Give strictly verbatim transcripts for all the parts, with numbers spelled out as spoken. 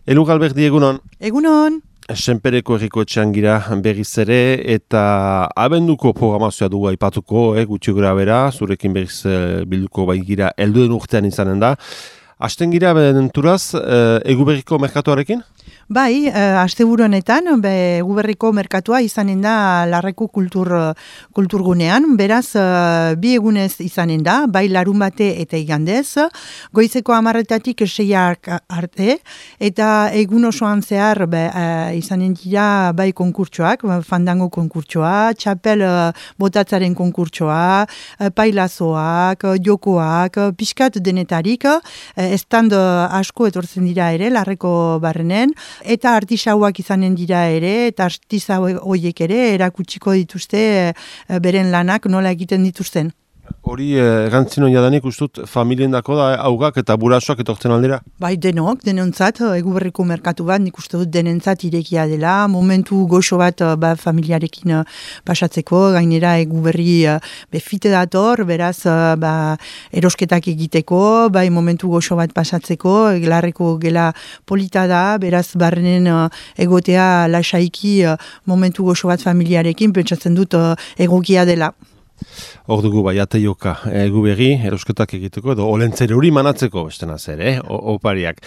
Elu Galberdi, egunon. Egunon. Senpereko herriko etxean gira berriz ere eta abenduko programazioa dugu aipatuko, eh, gutxi gora bera, zurekin berriz eh, bilduko bai gira helduen urtean izanen da. Hasten gira benturaz, eh, Eguberriko merkatuarekin? Bai, uh, asteburu honetan, Eguberriko merkatua izanen da Larreko kultur, kulturgunean, beraz uh, bi egunez izanen da, bai larun bate eta igandez, goizeko hamarretatik seiak arte, eta egun osoan zehar be, uh, izanen dira bai konkurtsoak, fandango konkurtsoa, txapel uh, botatzaren konkurtsoa, uh, pailazoak, uh, jokoak, uh, pixkat denetarik, uh, estand uh, asko etortzen dira ere, Larreko barrenen, eta artisauak izanen dira ere, eta artisau horiek ere erakutsiko dituzte e, beren lanak nola egiten dituzten. Hori erantzino eh, jadanik ustut familien dako da, haugak eta burasoak etortzen aldera? Bai, denok, denontzat, Eguberriko merkatu bat, nik uste dut denentzat irekia dela, momentu goxo bat ba, familiarekin pasatzeko, gainera Eguberri befite dator, beraz ba, erosketak egiteko, bai momentu goxo bat pasatzeko, Larreko gela polita da, beraz barrenen egotea lasaiki momentu goxo bat familiarekin, pentsatzen dut egokia dela. Hor dugu bai, ateioka Eguberri, erosketak egiteko, edo olentzere hori manatzeko, bestena zer, eh? opariak.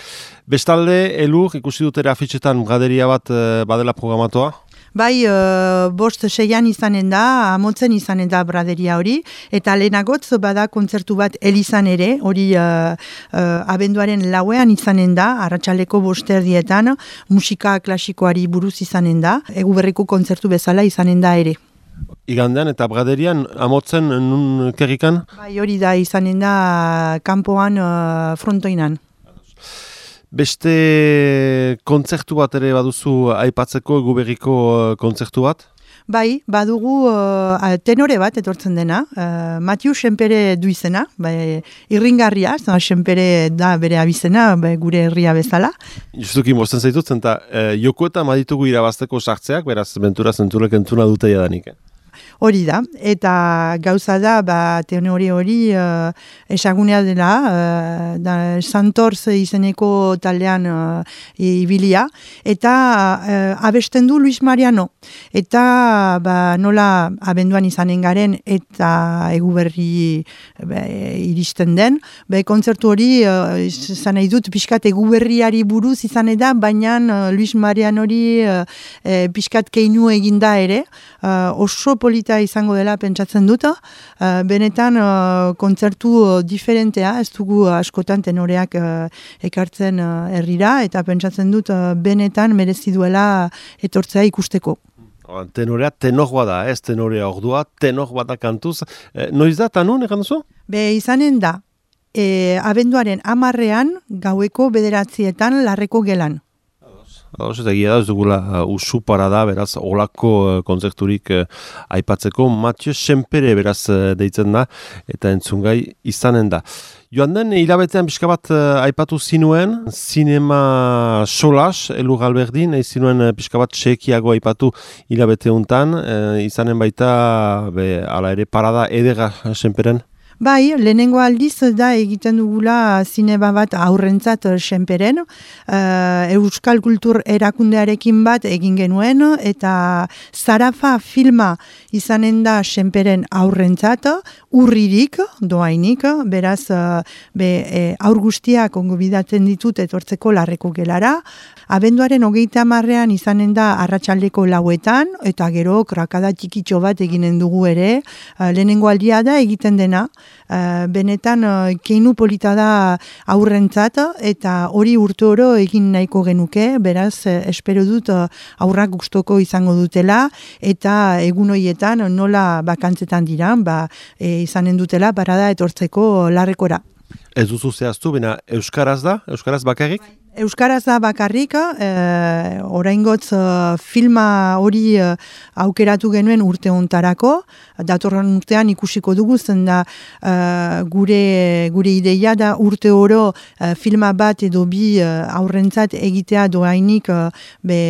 Bestalde, Elur, ikusi dutera afitxetan graderia bat badela programatoa? Bai, uh, bost seian izanen da, amotzen izanen da braderia hori, eta lehenagotz bada kontzertu bat elizan ere, hori uh, uh, abenduaren lauean izanen da, arratsaleko bosterdietan, musika klasikoari buruz izanen da, Eguberriko kontzertu bezala izanen da ere. Igandean eta braderian amotzen nun kerrikan? Bai, hori da izanen da kanpoan uh, frontoinan. Beste kontzertu bat ere baduzu aipatzeko, Eguberriko kontzertu bat? Bai, badugu uh, tenore bat etortzen dena, uh, Matiu Senpere du izena, bai, irringarria, Senpere da bere abizena, bai, gure herria bezala. Justuki mozten zaitutzen, eta eh, joko eta maditugu irabazteko sartzeak, beraz, bentura zenturek entzuna dute jadanik. Eh? Hori da, eta gauza da, ba, tenore hori uh, esagunea dela, uh, da Santorz izeneko taldean uh, ibilia, eta uh, abesten du Luis Mariano, eta ba, nola abenduan izanen garen, eta Eguberri be, iristen den, be, kontzertu hori, uh, izan nahi dut, pixkat Eguberriari buruz izan da, baina uh, Luis Mariano hori uh, uh, pixkat keinu eginda ere, uh, oso polita izango dela pentsatzen dut, uh, benetan uh, kontzertu uh, diferentea, ez dugu askotan tenoreak uh, ekartzen uh, herrira, eta pentsatzen dut uh, benetan merezi duela etortzea ikusteko. Tenorea tenor da, ez tenorea ordua, tenor bada kantuz. Eh, noiz da, tanun, egan duzu? Be, izanen da, e, abenduaren hamarrean gaueko bederatzietan Larreko gelan. Ados, eta egia da, ez dugula uh, usu para da, beraz, olako uh, kontzerturik uh, aipatzeko, Mathieu Senpere beraz uh, deitzen da, eta entzungai izanen da. Joan den, hilabetean pixka bat uh, aipatu zinuen, zinema solas, Elu Galberdi, nahi zinuen uh, pixka bat txekiago aipatu hilabete untan, uh, izanen baita, be, ala ere parada edera Senperen? Bai, lehenengo aldiz da egiten dugula zinema bat aurrentzat Senperen, uh, Euskal Kultur erakundearekin bat egin genuen, eta Zarafa filma izanen da Senperen aurrentzat, urririk, doainik, beraz, uh, be, e, aur guztiak ongo bidatzen ditut etortzeko Larreko gelara, abenduaren hogeita hamarrean izanen da arratsaldeko lauetan, eta gero krakada txikitxo bat eginen dugu ere, uh, lehenengo aldia da egiten dena, Uh, benetan uh, keinu polita da aurrentzat, eta hori urte oro egin nahiko genuke, beraz uh, espero dut uh, aurrak gustoko izango dutela, eta egun horietan nola bakantzetan dira, ba, e, izanen dutela parada etortzeko Larrekora. Ez duzu zehaztu, bena Euskaraz da? Euskaraz bakarrik? Euskaraz da bakarrik, eh, oraingotz eh, filma hori eh, aukeratu genuen urte hontarako, datorren urtean ikusiko dugu, zen da eh, gure, gure ideia da urte oro eh, filma bat edo bi eh, aurrentzat egitea doainik eh, be,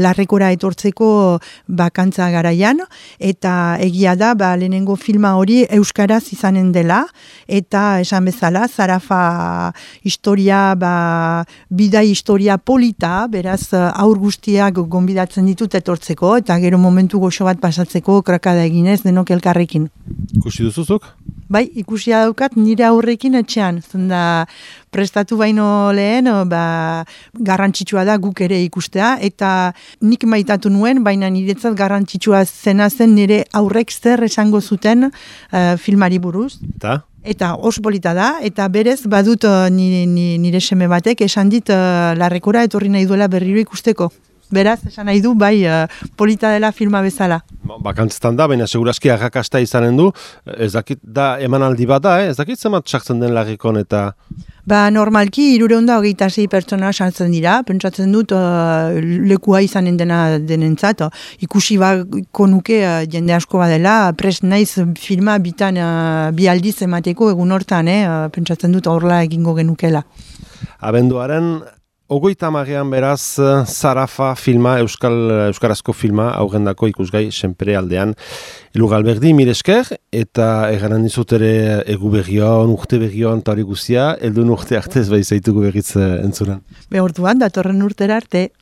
Larrekora etortzeko bakantza garaian, eta egia da ba, lehenengo filma hori Euskaraz izanen dela, eta esan bezala, Zarafa historia ba, bida historia polita, beraz aur guztiak gonbidatzen ditut etortzeko, eta gero momentu goxo bat pasatzeko krakada eginez denok elkarrekin. Ikusi duzuzuk? Bai, ikusia daukat nire aurrekin etxean. Zenda prestatu baino lehen, ba, garrantzitsua da guk ere ikustea, eta nik maitatu nuen, baina niretzat garrantzitsua zena zen nire aurrek zer esango zuten uh, filmari buruz. Eta? Eta oso polita da, eta berez badut uh, nire, nire seme batek esan dit uh, larrekora etorri nahi duela berriro ikusteko. Beraz, esan nahi du, bai, uh, polita dela filma bezala. Bakantzetan da, baina seguraski arrakasta izanen du, ez dakit da emanaldi bat da, eh? Ez dakit zemat sartzen den larrikon eta... Ba, normalki, irureunda hogeita sei pertsona sartzen dira, pentsatzen dut uh, lekua izanen dena denentzat, ikusi bako nuke uh, jende asko badela, prest naiz filma bitan uh, bi aldiz emateko egun hortan, eh? uh, pentsatzen dut horrela egingo genukela. Abenduaren Ogoita amarean beraz, Zarafa filma, Euskal, Euskarazko filma, aurrendako ikusgai senpere aldean. Elu Galberdi, mire esker, eta egaran dizut ere egu berrion, urte berrion, eta hori guzia, eldun urte artez bai zaitugu berriz entzunan. Be orduan, datorren urtera arte.